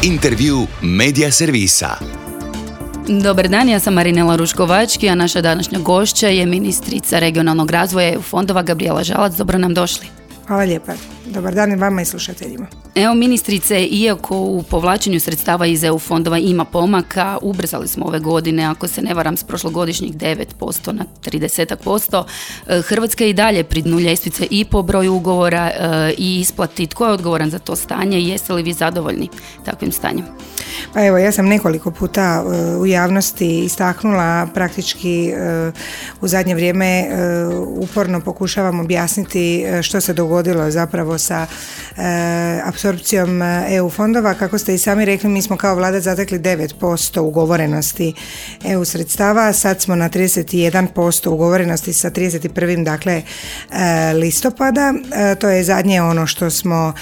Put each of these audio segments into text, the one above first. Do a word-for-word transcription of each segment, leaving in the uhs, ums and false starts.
Intervju Medija servisa. Dobar dan, ja sam Marinela Ruškovački, a naša današnja gošća je ministrica regionalnog razvoja E U fondova Gabrijela Žalac. Dobro nam došli. Hvala lijepa. Dobar dan i vama i slušateljima. Evo ministrice, iako u povlačenju sredstava iz E U fondova ima pomaka, ubrzali smo ove godine, ako se ne varam, s prošlogodišnjih devet posto na trideset posto. Hrvatska je i dalje pri dnu ljestvice i po broju ugovora i isplati. Tko je odgovoran za to stanje i jeste li vi zadovoljni takvim stanjem? Pa evo, ja sam nekoliko puta u javnosti istaknula, praktički u zadnje vrijeme uporno pokušavam objasniti što se dogodilo zapravo sa apsorpcijom E U fondova. Kako ste i sami rekli, mi smo kao vlada zatekli devet posto ugovorenosti E U sredstava, sad smo na trideset jedan posto ugovorenosti sa trideset prvog dakle listopada. To je zadnje ono što smo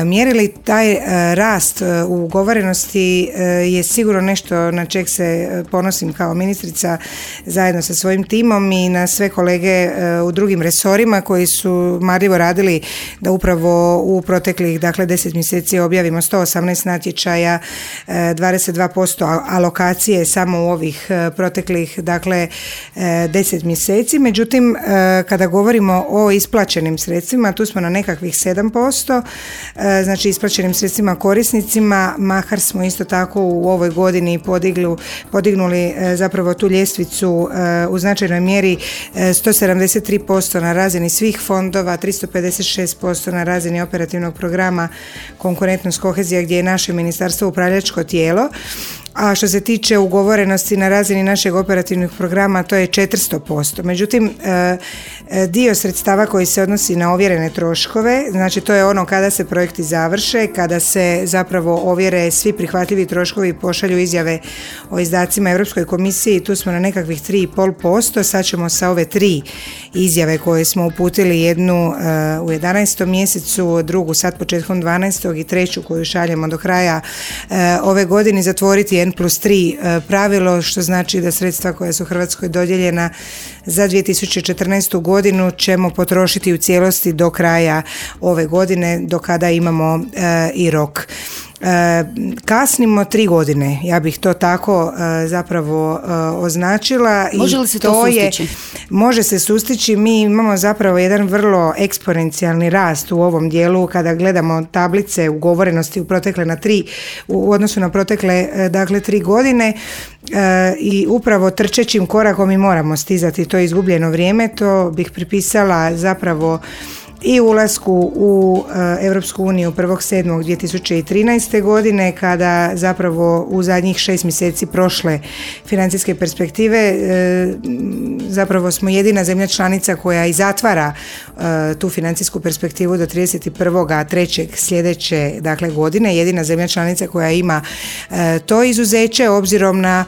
mjerili. Taj rast u ugovorenosti je sigurno nešto na čeg se ponosim kao ministrica zajedno sa svojim timom i na sve kolege u drugim resorima koji su marljivo radili da upravo u proteklih dakle deset mjeseci objavimo sto osamnaest natječaja, dvadeset dva posto alokacije samo u ovih proteklih dakle deset mjeseci. Međutim, kada govorimo o isplaćenim sredstvima, tu smo na nekakvih sedam posto, znači isplaćenim sredstvima korisnicima, makar smo isto tako u ovoj godini podiglu, podignuli zapravo tu ljestvicu u značajnoj mjeri sto sedamdeset tri posto na razini svih fondova, tristo pedeset šest posto na razini operativnog programa Konkurentnost kohezija gdje je naše ministarstvo upravljačko tijelo. A što se tiče ugovorenosti na razini našeg operativnog programa, to je četiristo posto. Međutim, dio sredstava koji se odnosi na ovjerene troškove, znači to je ono kada se projekti završe, kada se zapravo ovjere svi prihvatljivi troškovi i pošalju izjave o izdacima Europskoj komisiji, tu smo na nekakvih tri i pol posto. Sad ćemo sa ove tri izjave koje smo uputili, jednu u jedanaestom mjesecu, drugu sad početkom dvanaestog i treću koju šaljemo do kraja ove godine, zatvoriti N plus tri pravilo, što znači da sredstva koja su Hrvatskoj dodijeljena za dvije tisuće četrnaestu godinu ćemo potrošiti u cijelosti do kraja ove godine, do kada imamo e, i rok. E, kasnimo tri godine, ja bih to tako e, zapravo e, označila. Može li se to, to sustići? Je, može se sustići. Mi imamo zapravo jedan vrlo eksponencijalni rast u ovom dijelu kada gledamo tablice ugovorenosti u protekle na tri, u odnosu na protekle dakle tri godine e, i upravo trčećim korakom mi moramo stizati to izgubljeno vrijeme. To bih pripisala zapravo i ulasku u Europsku uniju prvog sedmog dvije tisuće trinaeste godine, kada zapravo u zadnjih šest mjeseci prošle financijske perspektive zapravo smo jedina zemlja članica koja i zatvara tu financijsku perspektivu do trideset prvog trećeg sljedeće dakle godine, jedina zemlja članica koja ima to izuzeće, obzirom na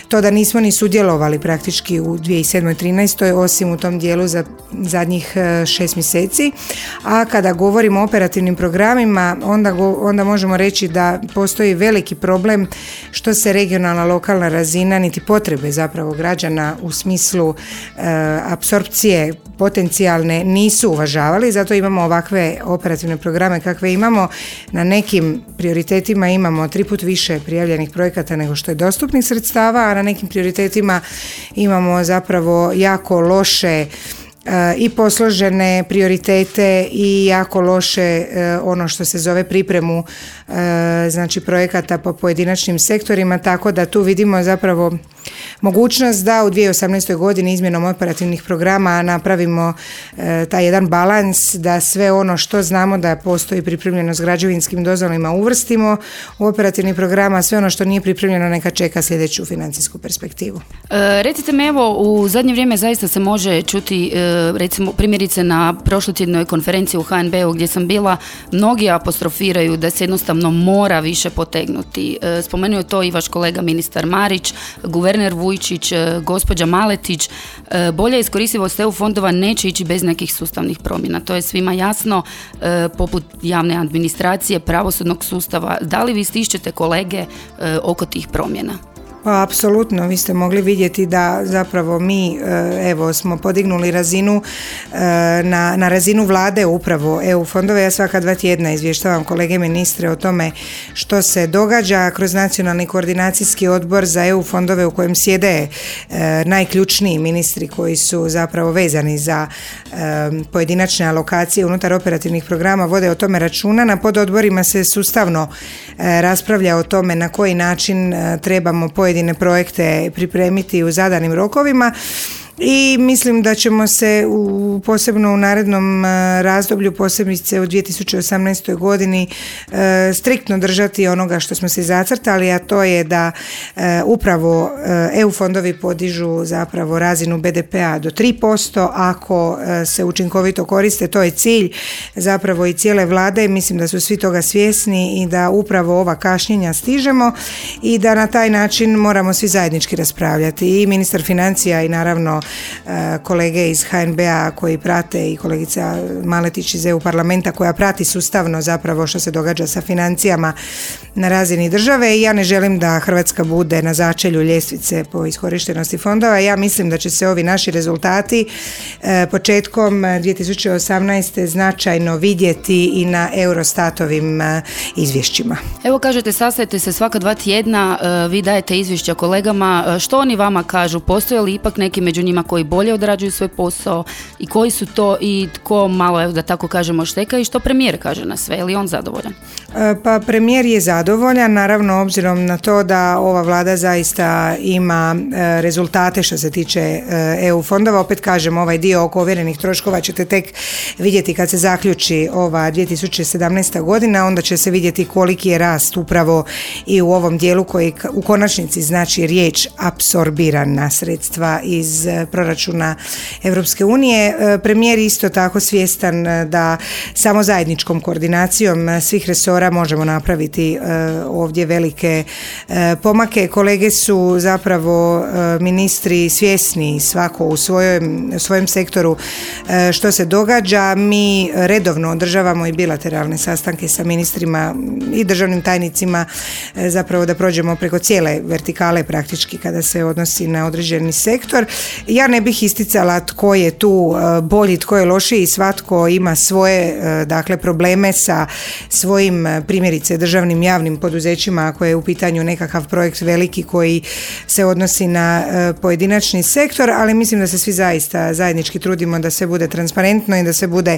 to da nismo ni sudjelovali praktički u dvije tisuće sedam trinaestoj osim u tom dijelu za zadnjih šest mjeseci. A kada govorimo o operativnim programima, onda, go, onda možemo reći da postoji veliki problem što se regionalna, lokalna razina niti potrebe zapravo građana u smislu e, apsorpcije potencijalne nisu uvažavali, zato imamo ovakve operativne programe kakve imamo. Na nekim prioritetima imamo tri put više prijavljenih projekata nego što je dostupnih sredstava, a na nekim prioritetima imamo zapravo jako loše i posložene prioritete i jako loše ono što se zove pripremu znači projekata po pojedinačnim sektorima, tako da tu vidimo zapravo mogućnost da u dvije tisuće osamnaestoj godini izmjenom operativnih programa napravimo taj jedan balans, da sve ono što znamo da postoji pripremljeno s građevinskim dozvolima uvrstimo u operativni program, a sve ono što nije pripremljeno neka čeka sljedeću financijsku perspektivu. E, recite mi, evo, u zadnje vrijeme zaista se može čuti e, recimo primjerice na prošlotjednoj konferenciji u H N B-u gdje sam bila, mnogi apostrofiraju da se jednostavno mora više potegnuti. E, spomenuo je to i vaš kolega ministar Marić, guverner Vujčić, e, gospođa Maletić. E, bolja iskoristivost E U fondova neće ići bez nekih sustavnih promjena. To je svima jasno, e, poput javne administracije, pravosudnog sustava. Da li vi stišćete kolege e, oko tih promjena? Pa apsolutno, vi ste mogli vidjeti da zapravo mi evo smo podignuli razinu na, na razinu vlade upravo E U fondove. Ja svaka dva tjedna izvještavam kolege ministre o tome što se događa kroz Nacionalni koordinacijski odbor za E U fondove u kojem sjede najključniji ministri koji su zapravo vezani za pojedinačne alokacije unutar operativnih programa, vode o tome računa. Na pododborima se sustavno raspravlja o tome na koji način trebamo pojedine projekte pripremiti u zadanim rokovima. I mislim da ćemo se u, posebno u narednom razdoblju, posebice u dvije tisuće osamnaestoj godini, e, striktno držati onoga što smo se zacrtali, a to je da e, upravo E U fondovi podižu zapravo razinu B D P-a do tri posto ako e, se učinkovito koriste. To je cilj zapravo i cijele vlade. Mislim da su svi toga svjesni i da upravo ova kašnjenja stižemo i da na taj način moramo svi zajednički raspravljati. I ministar financija i naravno kolege iz H N B-a koji prate i kolegica Maletić iz E U parlamenta koja prati sustavno zapravo što se događa sa financijama na razini države. I ja ne želim da Hrvatska bude na začelju ljestvice po iskorištenosti fondova. Ja mislim da će se ovi naši rezultati početkom dvije tisuće osamnaeste značajno vidjeti i na Eurostatovim izvješćima. Evo kažete, sastajete se svaka dva tjedna, vi dajete izvješća kolegama. Što oni vama kažu? Postoje li ipak neki među njima koji bolje odrađuju svoj posao i koji su to i tko malo, evo da tako kažemo, šteka i što premijer kaže na sve? Je li on zadovoljan? Pa premijer je zadovoljan, naravno obzirom na to da ova vlada zaista ima rezultate što se tiče E U fondova. Opet kažem, ovaj dio oko ovjerenih troškova ćete tek vidjeti kad se zaključi ova dvije tisuće sedamnaesta godina, onda će se vidjeti koliki je rast upravo i u ovom dijelu koji u konačnici znači riječ apsorbirana sredstva iz proračuna Europske unije. Premijer isto tako svjestan da samo zajedničkom koordinacijom svih resora možemo napraviti ovdje velike pomake. Kolege su zapravo ministri svjesni svako u svojem, svojem sektoru što se događa. Mi redovno održavamo i bilateralne sastanke sa ministrima i državnim tajnicima zapravo da prođemo preko cijele vertikale praktički kada se odnosi na određeni sektor. Ja ne bih isticala tko je tu bolji, tko je lošiji, svatko ima svoje dakle probleme sa svojim primjerice državnim javnim poduzećima ako je u pitanju nekakav projekt veliki koji se odnosi na pojedinačni sektor, ali mislim da se svi zaista zajednički trudimo da sve bude transparentno i da se bude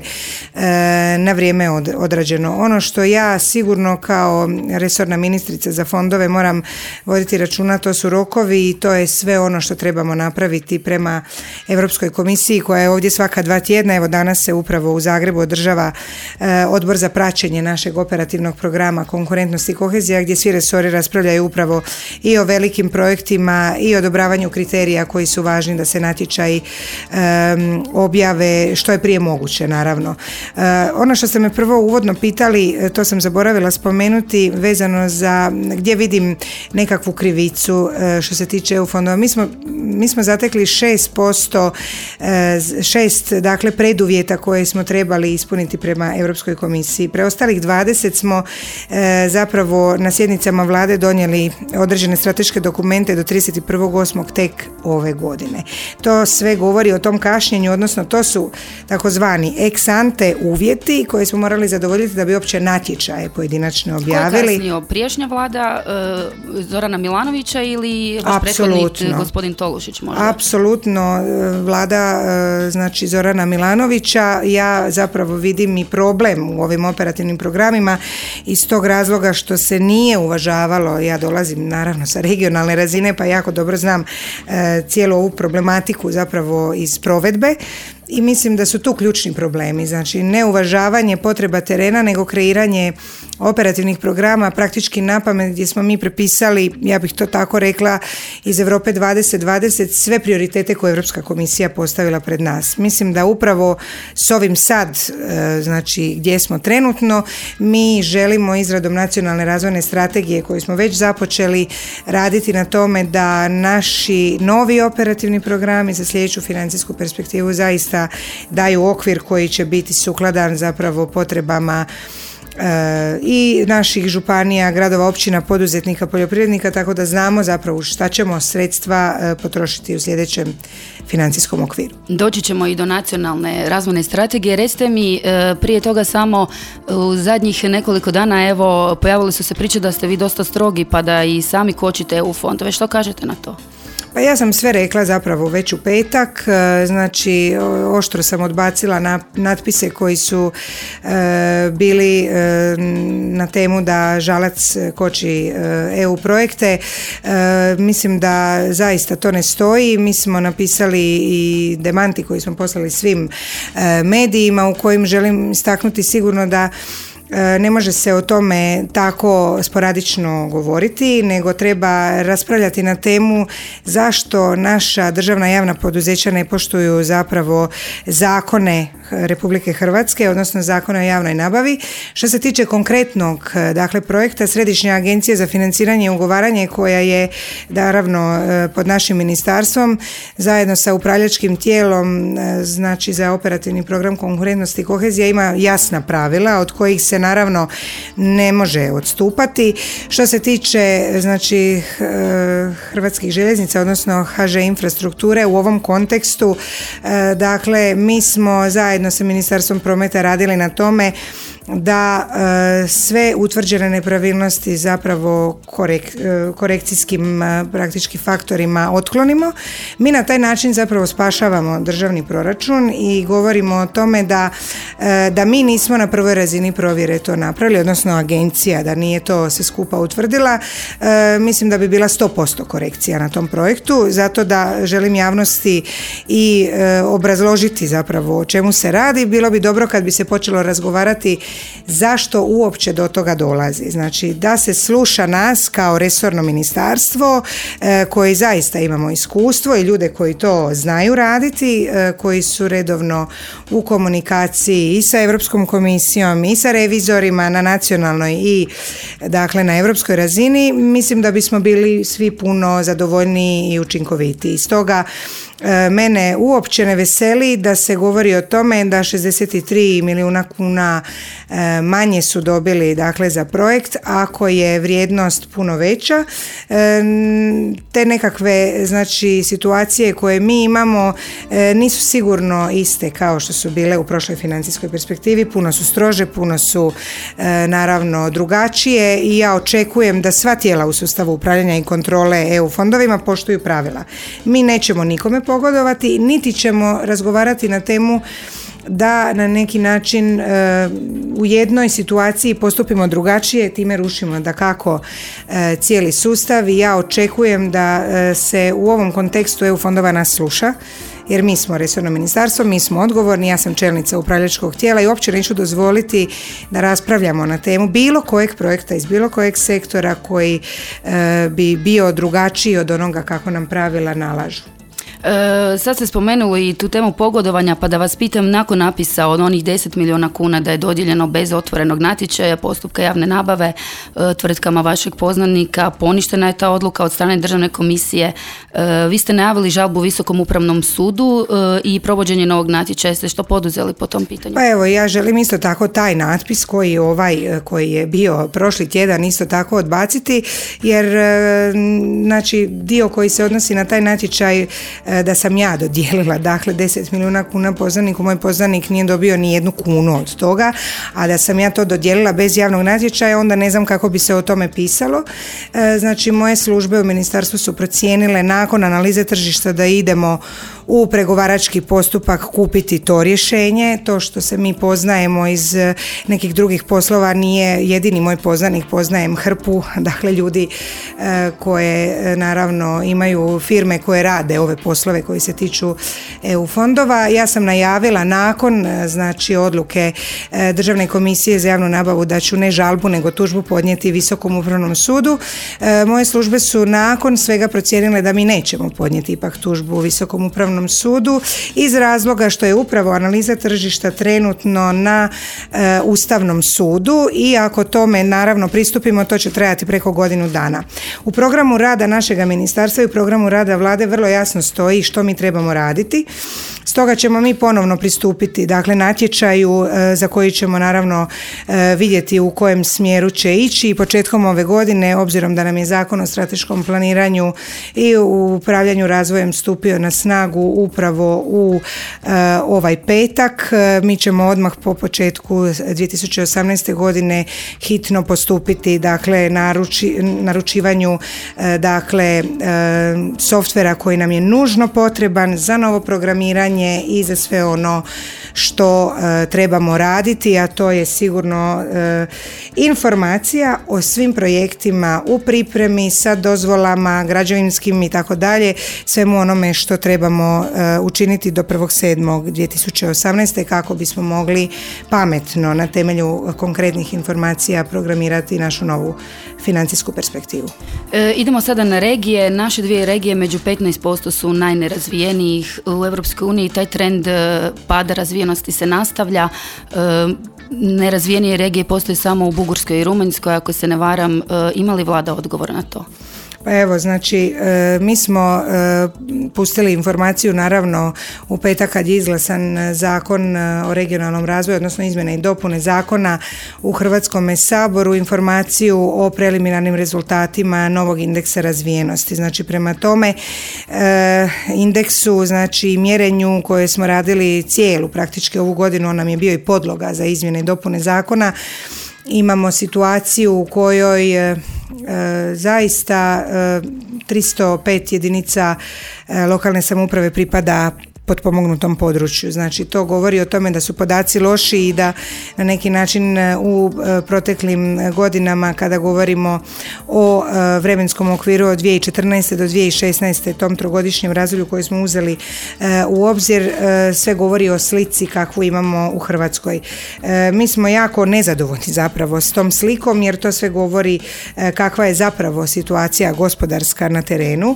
na vrijeme odrađeno. Ono što ja sigurno kao resorna ministrica za fondove moram voditi računa, to su rokovi i to je sve ono što trebamo napraviti prema Europskoj komisiji koja je ovdje svaka dva tjedna. Evo danas se upravo u Zagrebu održava e, odbor za praćenje našeg operativnog programa Konkurentnost i kohezija gdje svi resori raspravljaju upravo i o velikim projektima i odobravanju kriterija koji su važni da se natječaji e, objave što je prije moguće naravno. E, ono što ste me prvo uvodno pitali, to sam zaboravila spomenuti vezano za gdje vidim nekakvu krivicu e, što se tiče E U fondova. Mi smo, mi smo zatekli šest posto, šest dakle preduvjeta koje smo trebali ispuniti prema Europskoj komisiji. Preostalih dvadeset smo e, zapravo na sjednicama vlade donijeli određene strateške dokumente do trideset prvog osmog tek ove godine. To sve govori o tom kašnjenju, odnosno to su takozvani ex ante uvjeti koje smo morali zadovoljiti da bi uopće natječaje pojedinačne objavili. Ko je kasnio? Prijašnja vlada e, Zorana Milanovića ili vaš prethodnik gospodin Tolušić možda? Apsolutno, vlada znači Zorana Milanovića. Ja zapravo vidim i problem u ovim operativnim programima iz tog razloga što se nije uvažavalo, ja dolazim naravno sa regionalne razine pa jako dobro znam e, cijelu ovu problematiku zapravo iz provedbe. I mislim da su tu ključni problemi, znači ne uvažavanje potreba terena nego kreiranje operativnih programa praktički napamet gdje smo mi prepisali, ja bih to tako rekla, iz Europe dvadeset dvadeset sve prioritete koje je Europska komisija postavila pred nas. Mislim da upravo s ovim sad, znači gdje smo trenutno, mi želimo izradom nacionalne razvojne strategije koju smo već započeli raditi na tome da naši novi operativni programi za sljedeću financijsku perspektivu zaista daju okvir koji će biti sukladan zapravo potrebama i naših županija, gradova, općina, poduzetnika, poljoprivrednika, tako da znamo zapravo šta ćemo sredstva potrošiti u sljedećem financijskom okviru. Doći ćemo i do nacionalne razvojne strategije. Recite mi, prije toga samo u zadnjih nekoliko dana, evo, pojavili su se priče da ste vi dosta strogi pa da i sami kočite E U fondove. Što kažete na to? Pa ja sam sve rekla zapravo već u petak, znači oštro sam odbacila na natpise koji su e, bili e, na temu da Žalac koči e, E U projekte. E, mislim da zaista to ne stoji. Mi smo napisali i demanti koji smo poslali svim e, medijima u kojim želim istaknuti sigurno da ne može se o tome tako sporadično govoriti, nego treba raspravljati na temu zašto naša državna javna poduzeća ne poštuju zapravo zakone Republike Hrvatske, odnosno zakone o javnoj nabavi. Što se tiče konkretnog, dakle, projekta Središnja agencija za financiranje i ugovaranje, koja je naravno pod našim ministarstvom zajedno sa upravljačkim tijelom, znači za operativni program konkurentnosti i kohezija, ima jasna pravila od kojih se naravno ne može odstupati. Što se tiče, znači, Hrvatskih željeznica, odnosno H Ž Infrastrukture, u ovom kontekstu, dakle, mi smo zajedno sa Ministarstvom prometa radili na tome da e, sve utvrđene nepravilnosti zapravo korek, e, korekcijskim e, praktički faktorima otklonimo. Mi na taj način zapravo spašavamo državni proračun i govorimo o tome da, e, da mi nismo na prvoj razini provjere to napravili, odnosno agencija da nije to se skupa utvrdila. E, mislim da bi bila sto posto korekcija na tom projektu, zato da želim javnosti i e, obrazložiti zapravo o čemu se radi. Bilo bi dobro kad bi se počelo razgovarati zašto uopće do toga dolazi. Znači da se sluša nas kao resorno ministarstvo e, koji zaista imamo iskustvo i ljude koji to znaju raditi, e, koji su redovno u komunikaciji i sa Europskom komisijom i sa revizorima na nacionalnoj i dakle na europskoj razini. Mislim da bismo bili svi puno zadovoljniji i učinkovitiji. Stoga mene uopće ne veseli da se govori o tome da šezdeset tri milijuna kuna manje su dobili, dakle, za projekt, ako je vrijednost puno veća. Te nekakve, znači, situacije koje mi imamo nisu sigurno iste kao što su bile u prošloj financijskoj perspektivi, puno su strože, puno su naravno drugačije i ja očekujem da sva tijela u sustavu upravljanja i kontrole E U fondovima poštuju pravila. Mi nećemo nikome pogodovati, niti ćemo razgovarati na temu da na neki način e, u jednoj situaciji postupimo drugačije, time rušimo dakako e, cijeli sustav i ja očekujem da e, se u ovom kontekstu E U fondova nas sluša, jer mi smo resorno ministarstvo, mi smo odgovorni, ja sam čelnica upravljačkog tijela i uopće neću dozvoliti da raspravljamo na temu bilo kojeg projekta iz bilo kojeg sektora koji e, bi bio drugačiji od onoga kako nam pravila nalažu. E, sad ste spomenuli i tu temu pogodovanja, pa da vas pitam, nakon napisa od onih deset milijuna kuna da je dodijeljeno bez otvorenog natječaja, postupka javne nabave e, tvrtkama vašeg poznanika, poništena je ta odluka od strane državne komisije. E, vi ste najavili žalbu Visokom upravnom sudu e, i provođenje novog natječaja. Ste što poduzeli po tom pitanju? Pa evo, ja želim isto tako taj natpis koji je ovaj koji je bio prošli tjedan isto tako odbaciti, jer e, znači dio koji se odnosi na taj natječaj da sam ja dodijelila, dakle deset milijuna kuna poznaniku, moj poznanik nije dobio ni jednu kunu od toga, a da sam ja to dodijelila bez javnog natječaja, onda ne znam kako bi se o tome pisalo. E, znači moje službe u ministarstvu su procijenile nakon analize tržišta da idemo u pregovarački postupak kupiti to rješenje. To što se mi poznajemo iz nekih drugih poslova nije jedini moj poznanik, poznajem hrpu, dakle ljudi e, koje naravno imaju firme koje rade ove poslove koji se tiču E U fondova. Ja sam najavila nakon znači odluke e, Državne komisije za javnu nabavu da ću ne žalbu nego tužbu podnijeti Visokom upravnom sudu. E, moje službe su nakon svega procijenile da mi nećemo podnijeti ipak tužbu Visokom upravnom sudu iz razloga što je upravo analiza tržišta trenutno na e, Ustavnom sudu i ako tome naravno pristupimo, to će trajati preko godinu dana. U programu rada našega ministarstva i u programu rada vlade vrlo jasno stoji stoji, što mi trebamo raditi. Stoga ćemo mi ponovno pristupiti, dakle, natječaju e, za koji ćemo naravno e, vidjeti u kojem smjeru će ići i početkom ove godine, obzirom da nam je Zakon o strateškom planiranju i u upravljanju razvojem stupio na snagu upravo u e, ovaj petak, e, mi ćemo odmah po početku dvije tisuće osamnaeste godine hitno postupiti, dakle, naruči, naručivanju e, dakle, e, softvera koji nam je nužno potreban za novo programiranje i za sve ono što e, trebamo raditi, a to je sigurno e, informacija o svim projektima u pripremi sa dozvolama građevinskim i tako dalje, svemu onome što trebamo e, učiniti do prvog sedmog dvije tisuće osamnaeste kako bismo mogli pametno na temelju konkretnih informacija programirati našu novu financijsku perspektivu. E, idemo sada na regije. Naše dvije regije među petnaest posto su najnerazvijenijih u Europskoj uniji. Taj trend pada razvijenosti se nastavlja. E, nerazvijenije regije postoje samo u Bugarskoj i Rumunjskoj, ako se ne varam. E, ima li vlada odgovor na to? Pa evo, znači, e, mi smo e, pustili informaciju naravno u petak kad je izglasan Zakon o regionalnom razvoju, odnosno izmjene i dopune zakona u Hrvatskom saboru, informaciju o preliminarnim rezultatima novog indeksa razvijenosti. Znači, prema tome e, indeksu, znači mjerenju koje smo radili cijelu praktički ovu godinu, on nam je bio i podloga za izmjene i dopune zakona. Imamo situaciju u kojoj e, zaista e, tristo pet jedinica e, lokalne samouprave pripada potpomognutom području. Znači, to govori o tome da su podaci loši i da na neki način u proteklim godinama, kada govorimo o vremenskom okviru od dvije tisuće četrnaeste do dvije tisuće šesnaeste, tom trogodišnjem razdoblju koji smo uzeli u obzir, sve govori o slici kakvu imamo u Hrvatskoj. Mi smo jako nezadovoljni zapravo s tom slikom, jer to sve govori kakva je zapravo situacija gospodarska na terenu.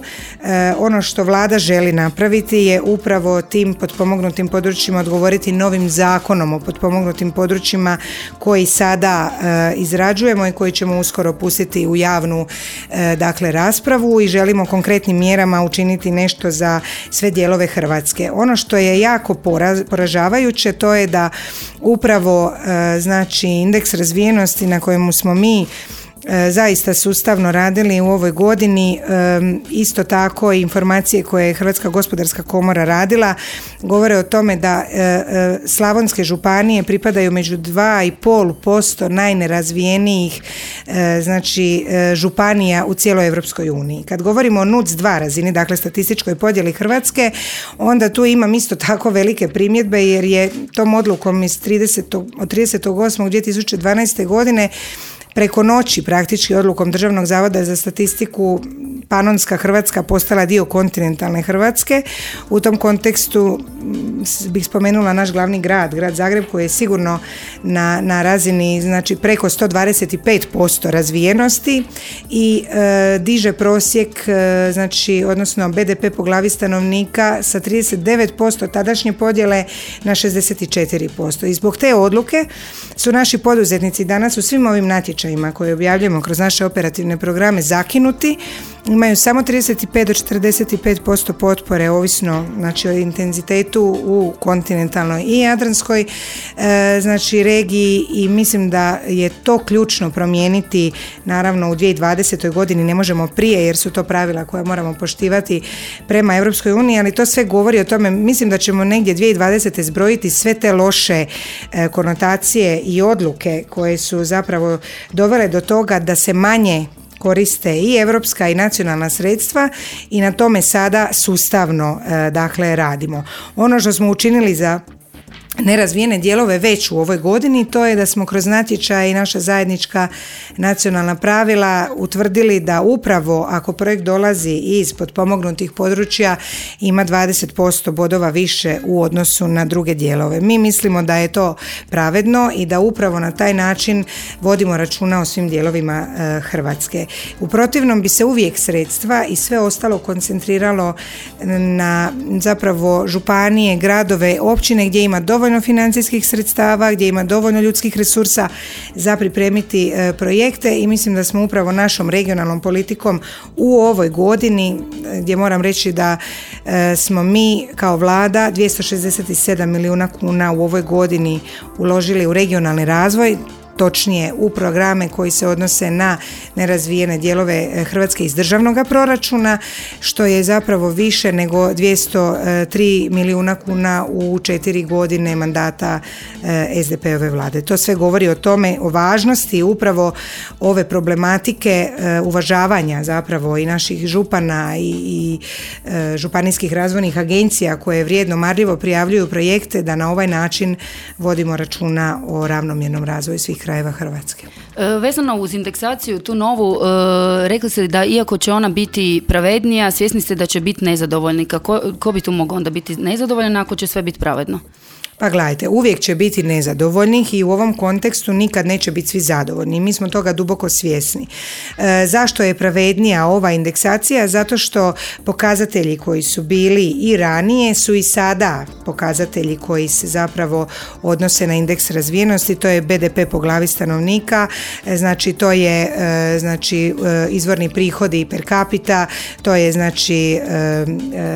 Ono što vlada želi napraviti je upravo tim potpomognutim područjima odgovoriti novim zakonom o potpomognutim područjima koji sada e, izrađujemo i koji ćemo uskoro pustiti u javnu e, dakle raspravu, i želimo konkretnim mjerama učiniti nešto za sve dijelove Hrvatske. Ono što je jako poraz, poražavajuće, to je da upravo e, znači indeks razvijenosti na kojemu smo mi zaista sustavno radili u ovoj godini, isto tako i informacije koje je Hrvatska gospodarska komora radila govore o tome da slavonske županije pripadaju među dva i pol posto najnerazvijenijih znači županija u cijeloj Europskoj uniji. Kad govorimo o N U C dva razini, dakle statističkoj podjeli Hrvatske, onda tu imam isto tako velike primjedbe, jer je tom odlukom iz tridesetog od tridesetog osmog dvije tisuće dvanaeste godine preko noći, praktički odlukom Državnog zavoda za statistiku, Panonska Hrvatska postala dio kontinentalne Hrvatske. U tom kontekstu bih spomenula naš glavni grad, grad Zagreb, koji je sigurno na, na razini znači preko sto dvadeset pet posto razvijenosti i e, diže prosjek, e, znači odnosno B D P po glavi stanovnika sa trideset devet posto tadašnje podjele na šezdeset četiri posto. I zbog te odluke su naši poduzetnici danas u svim ovim natječajima koje objavljujemo kroz naše operativne programe zakinuti, imaju samo trideset pet do četrdeset pet posto potpore, ovisno znači o intenzitetu u kontinentalnoj i jadranskoj e, znači regiji, i mislim da je to ključno promijeniti. Naravno u dvije tisuće dvadesetoj godini ne možemo prije, jer su to pravila koja moramo poštivati prema Europskoj uniji, ali to sve govori o tome. Mislim da ćemo negdje dvije tisuće dvadesete zbrojiti sve te loše e, konotacije i odluke koje su zapravo dovele do toga da se manje koriste i europska i nacionalna sredstva, i na tome sada sustavno e, dakle radimo. Ono što smo učinili za nerazvijene dijelove već u ovoj godini, to je da smo kroz natječaj i naša zajednička nacionalna pravila utvrdili da upravo ako projekt dolazi iz potpomognutih područja ima dvadeset posto bodova više u odnosu na druge dijelove. Mi mislimo da je to pravedno i da upravo na taj način vodimo računa o svim dijelovima e, Hrvatske. U protivnom bi se uvijek sredstva i sve ostalo koncentriralo na zapravo županije, gradove, općine gdje ima dovoljno dovoljno financijskih sredstava, gdje ima dovoljno ljudskih resursa za pripremiti e, projekte i mislim da smo upravo našom regionalnom politikom u ovoj godini, gdje moram reći da e, smo mi kao vlada dvjesto šezdeset sedam milijuna kuna u ovoj godini uložili u regionalni razvoj, točnije u programe koji se odnose na nerazvijene dijelove Hrvatske iz državnog proračuna, što je zapravo više nego dvjesto tri milijuna kuna u četiri godine mandata es de pe ove vlade. To sve govori o tome, o važnosti upravo ove problematike uvažavanja zapravo i naših župana i, i županijskih razvojnih agencija koje vrijedno marljivo prijavljuju projekte, da na ovaj način vodimo računa o ravnomjernom razvoju svih krajeva Hrvatske. E, vezano uz indeksaciju tu novu, e, rekli ste da iako će ona biti pravednija, svjesni ste da će biti nezadovoljni. Ko, ko bi tu mogao onda biti nezadovoljan ako će sve biti pravedno? Pa gledajte, uvijek će biti nezadovoljnih i u ovom kontekstu nikad neće biti svi zadovoljni. Mi smo toga duboko svjesni. E, zašto je pravednija ova indeksacija? Zato što pokazatelji koji su bili i ranije su i sada pokazatelji koji se zapravo odnose na indeks razvijenosti. To je be de pe po glavi stanovnika, e, znači to je e, znači, e, izvorni prihodi per capita, to je znači e,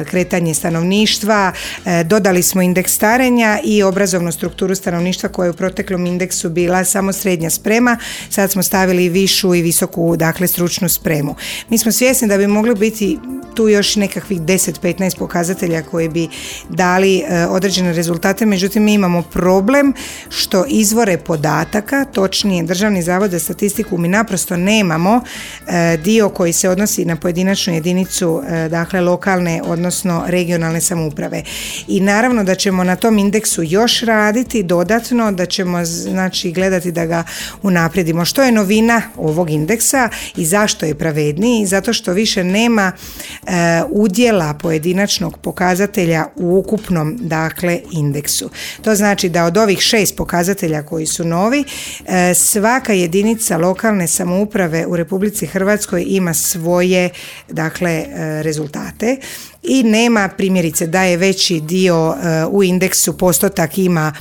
kretanje stanovništva, e, dodali smo indeks starenja i obrazovnu strukturu stanovništva koja je u proteklom indeksu bila samo srednja sprema, sad smo stavili višu i visoku, dakle, stručnu spremu. Mi smo svjesni da bi mogli biti tu još nekakvih deset do petnaest pokazatelja koji bi dali e, određene rezultate, međutim mi imamo problem što izvore podataka, točnije Državni zavod za statistiku, mi naprosto nemamo e, dio koji se odnosi na pojedinačnu jedinicu, e, dakle lokalne odnosno regionalne samouprave. I naravno da ćemo na tom indeksu još raditi dodatno, da ćemo znači gledati da ga unaprijedimo. Što je novina ovog indeksa i zašto je pravedniji? Zato što više nema e, udjela pojedinačnog pokazatelja u ukupnom, dakle, indeksu. To znači da od ovih šest pokazatelja koji su novi, e, svaka jedinica lokalne samouprave u Republici Hrvatskoj ima svoje, dakle, e, rezultate. I nema, primjerice, da je veći dio uh, u indeksu postotak ima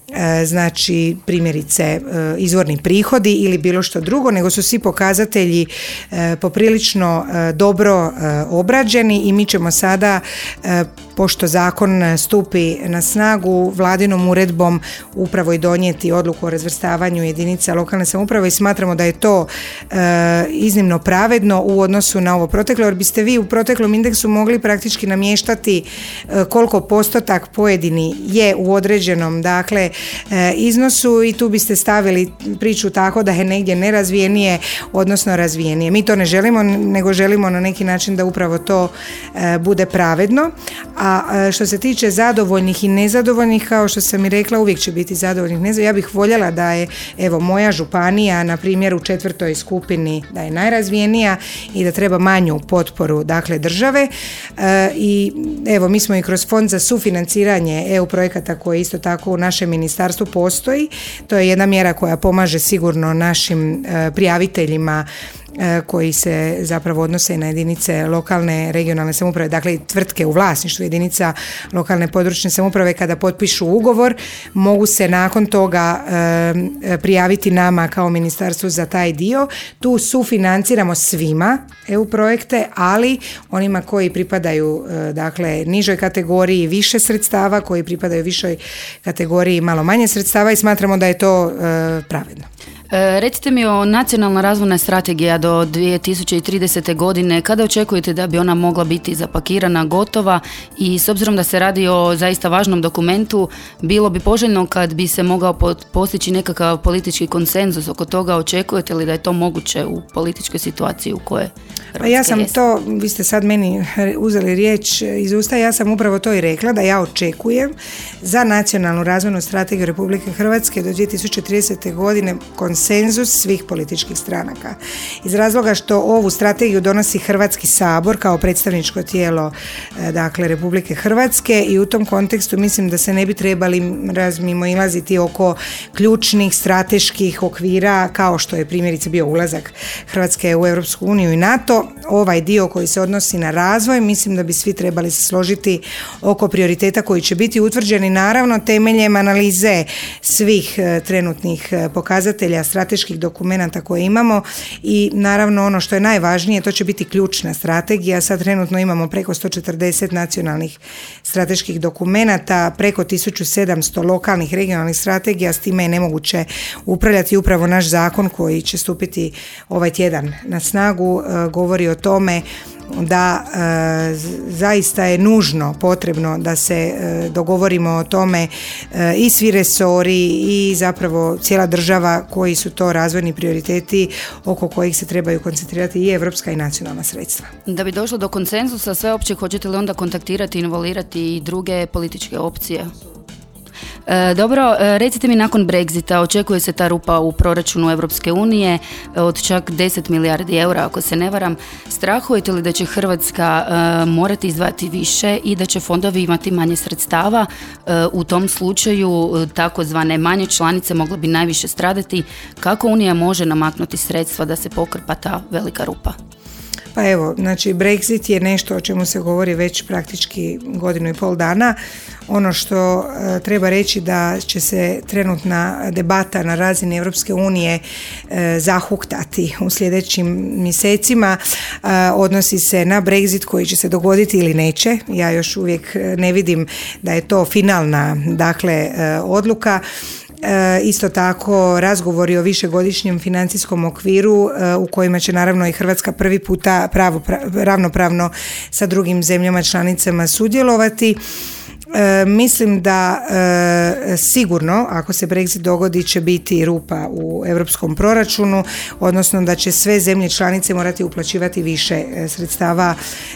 uh, znači primjerice uh, izvorni prihodi ili bilo što drugo, nego su svi pokazatelji uh, poprilično uh, dobro uh, obrađeni i mi ćemo sada uh, pošto zakon stupi na snagu, vladinom uredbom upravo i donijeti odluku o razvrstavanju jedinica lokalne samouprave i smatramo da je to e, iznimno pravedno u odnosu na ovo proteklo, jer biste vi u proteklom indeksu mogli praktički namještati e, koliko postotak pojedini je u određenom, dakle, e, iznosu i tu biste stavili priču tako da je negdje nerazvijenije, odnosno razvijenije. Mi to ne želimo, nego želimo na neki način da upravo to e, bude pravedno. A što se tiče zadovoljnih i nezadovoljnih, kao što sam i rekla, uvijek će biti zadovoljnih i nezadovoljnih. Ja bih voljela da je, evo, moja županija, na primjer, u četvrtoj skupini, da je najrazvijenija i da treba manju potporu, dakle, države. E, I evo, mi smo i kroz fond za sufinanciranje E U projekata koji isto tako u našem ministarstvu postoji. To je jedna mjera koja pomaže sigurno našim e, prijaviteljima koji se zapravo odnose na jedinice lokalne, regionalne samouprave, dakle tvrtke u vlasništvu jedinica lokalne područne samouprave. Kada potpišu ugovor, mogu se nakon toga e, prijaviti nama kao ministarstvu za taj dio. Tu sufinanciramo svima E U projekte, ali onima koji pripadaju e, dakle nižoj kategoriji više sredstava, koji pripadaju višoj kategoriji malo manje sredstava i smatramo da je to e, pravedno. E, recite mi o nacionalna razvojna strategija do dvije tisuće tridesete godine, kada očekujete da bi ona mogla biti zapakirana, gotova, i s obzirom da se radi o zaista važnom dokumentu, bilo bi poželjno kad bi se mogao postići nekakav politički konsenzus oko toga. Očekujete li da je to moguće u političkoj situaciji u kojoj Hrvatska Pa ja sam jest? to, vi ste sad meni uzeli riječ iz usta, ja sam upravo to i rekla, da ja očekujem za nacionalnu razvojnu strategiju Republike Hrvatske do dvije tisuće tridesete godine konsenzus svih političkih stranaka. Iz razloga što ovu strategiju donosi Hrvatski sabor kao predstavničko tijelo, dakle, Republike Hrvatske, i u tom kontekstu mislim da se ne bi trebali razmimoilaziti oko ključnih strateških okvira kao što je primjerice bio ulazak Hrvatske u Europsku uniju i NATO. no ovaj dio koji se odnosi na razvoj, mislim da bi svi trebali se složiti oko prioriteta koji će biti utvrđeni naravno temeljem analize svih trenutnih pokazatelja, strateških dokumenata koje imamo i naravno ono što je najvažnije, to će biti ključna strategija. Sad trenutno imamo preko sto četrdeset nacionalnih strateških dokumenata, preko tisuću sedamsto lokalnih regionalnih strategija, s time je nemoguće upravljati. Upravo naš zakon koji će stupiti ovaj tjedan na snagu govori o tome da e, zaista je nužno potrebno da se e, dogovorimo o tome e, i svi resori i zapravo cijela država koji su to razvojni prioriteti oko kojih se trebaju koncentrirati i evropska i nacionalna sredstva. Da bi došlo do konsenzusa sveopće, hoćete li onda kontaktirati i involvirati i druge političke opcije? E, dobro, recite mi, nakon Brexita očekuje se ta rupa u proračunu Europske unije od čak deset milijardi eura, ako se ne varam. Strahujete li da će Hrvatska e, morati izdvajati više i da će fondovi imati manje sredstava? E, u tom slučaju takozvane manje članice mogle bi najviše stradati. Kako Unija može namaknuti sredstva da se pokrpa ta velika rupa? Pa evo, znači Brexit je nešto o čemu se govori već praktički godinu i pol dana. Ono što e, treba reći da će se trenutna debata na razini Europske unije e, zahuktati u sljedećim mjesecima. E, odnosi se na Brexit koji će se dogoditi ili neće. Ja još uvijek ne vidim da je to finalna, dakle, e, odluka. E, isto tako razgovori o višegodišnjem financijskom okviru e, u kojima će naravno i Hrvatska prvi puta pravo, pra, ravnopravno sa drugim zemljama članicama sudjelovati. E, mislim da e, sigurno ako se Brexit dogodi će biti rupa u europskom proračunu, odnosno da će sve zemlje članice morati uplaćivati više e, sredstava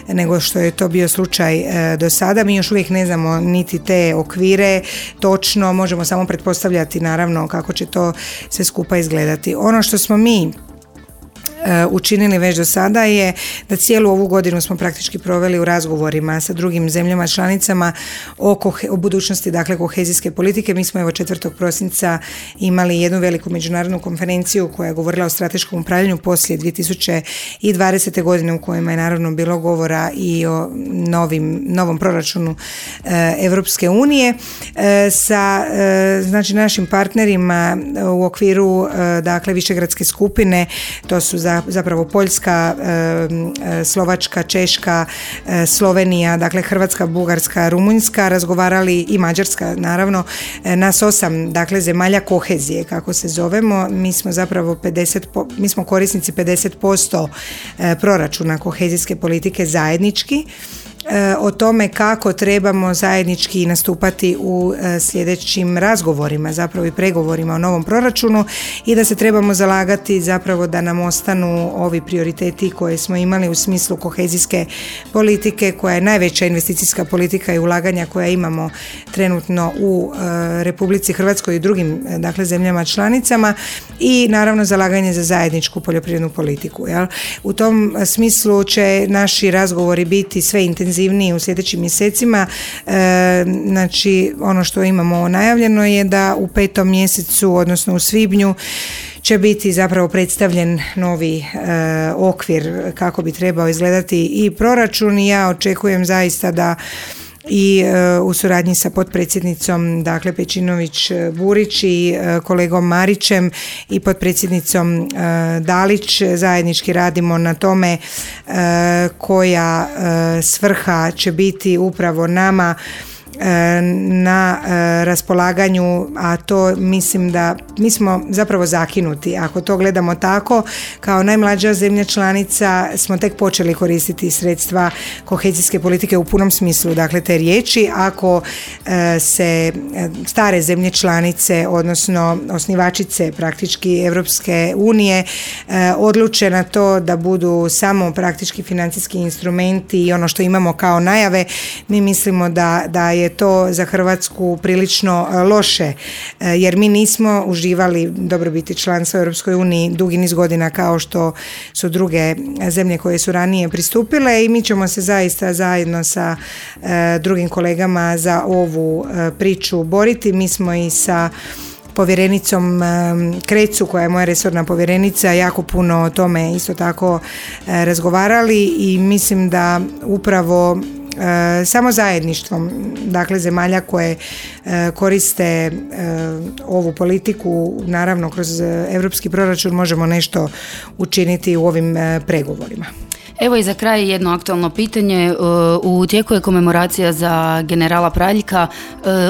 nego što je to bio slučaj e, do sada. Mi još uvijek ne znamo niti te okvire točno, možemo samo pretpostavljati naravno kako će to sve skupa izgledati. Ono što smo mi učinili već do sada je da cijelu ovu godinu smo praktički proveli u razgovorima sa drugim zemljama članicama o, kohe, o budućnosti, dakle, kohezijske politike. Mi smo evo četvrtog prosinca imali jednu veliku međunarodnu konferenciju koja je govorila o strateškom upravljanju poslije dvije tisuće dvadesete godine, u kojima je naravno bilo govora i o novim, novom proračunu e, Evropske unije e, sa e, znači našim partnerima u okviru e, dakle višegradske skupine. To su za zapravo Poljska, Slovačka, Češka, Slovenija, dakle Hrvatska, Bugarska, Rumunjska, razgovarali i Mađarska naravno, nas osam, dakle, zemalja kohezije kako se zovemo. Mi smo zapravo pedeset, mi smo korisnici pedeset posto proračuna kohezijske politike zajednički. O tome kako trebamo zajednički nastupati u sljedećim razgovorima, zapravo i pregovorima o novom proračunu, i da se trebamo zalagati zapravo da nam ostanu ovi prioriteti koje smo imali u smislu kohezijske politike, koja je najveća investicijska politika i ulaganja koja imamo trenutno u Republici Hrvatskoj i drugim, dakle, zemljama članicama, i naravno zalaganje za zajedničku poljoprivrednu politiku. Jel? U tom smislu će naši razgovori biti sve intenzivniji u sljedećim mjesecima. E, znači ono što imamo najavljeno je da u petom mjesecu, odnosno u svibnju, će biti zapravo predstavljen novi e, okvir kako bi trebao izgledati i proračun, i ja očekujem zaista da i e, u suradnji sa potpredsjednicom, dakle, Pejčinović-Burić i e, kolegom Marićem i potpredsjednicom e, Dalić zajednički radimo na tome e, koja e, svrha će biti upravo nama na raspolaganju, a to mislim da mi smo zapravo zakinuti. Ako to gledamo tako, kao najmlađa zemlja članica smo tek počeli koristiti sredstva kohezijske politike u punom smislu, dakle, te riječi. Ako se stare zemlje članice, odnosno osnivačice praktički Evropske unije, odluče na to da budu samo praktički financijski instrumenti i ono što imamo kao najave, mi mislimo da, da je to za Hrvatsku prilično loše, jer mi nismo uživali dobrobiti članstva u Europskoj uniji dugi niz godina kao što su druge zemlje koje su ranije pristupile, i mi ćemo se zaista zajedno sa drugim kolegama za ovu priču boriti. Mi smo i sa povjerenicom Krecu, koja je moja resorna povjerenica, jako puno o tome isto tako razgovarali i mislim da upravo E, samo zajedništvom, dakle zemalja koje e, koriste e, ovu politiku, naravno kroz europski proračun, možemo nešto učiniti u ovim e, pregovorima. Evo i za kraj jedno aktualno pitanje. U tijeku je komemoracija za generala Praljka,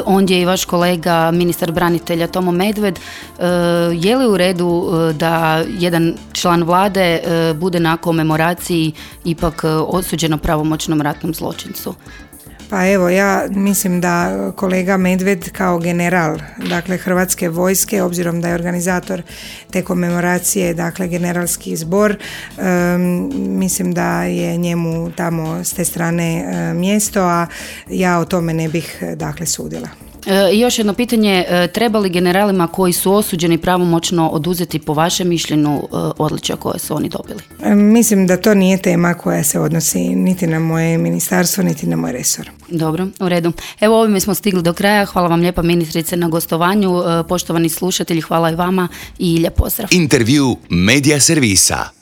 ondje je i vaš kolega ministar branitelja Tomo Medved. Je li u redu da jedan član vlade bude na komemoraciji ipak osuđeno pravomoćnom ratnom zločincu? Pa evo, ja mislim da kolega Medved kao general, dakle Hrvatske vojske, obzirom da je organizator te komemoracije, dakle generalski zbor, um, mislim da je njemu tamo s te strane um, mjesto, a ja o tome ne bih dakle sudila. I još jedno pitanje, treba li generalima koji su osuđeni pravomoćno oduzeti po vašem mišljenju odličja koje su oni dobili? Mislim da to nije tema koja se odnosi niti na moje ministarstvo, niti na moj resor. Dobro, u redu. Evo, ovime smo stigli do kraja. Hvala vam lijepa ministrice na gostovanju. Poštovani slušatelji, hvala i vama i lijep pozdrav. Intervju Media servisa.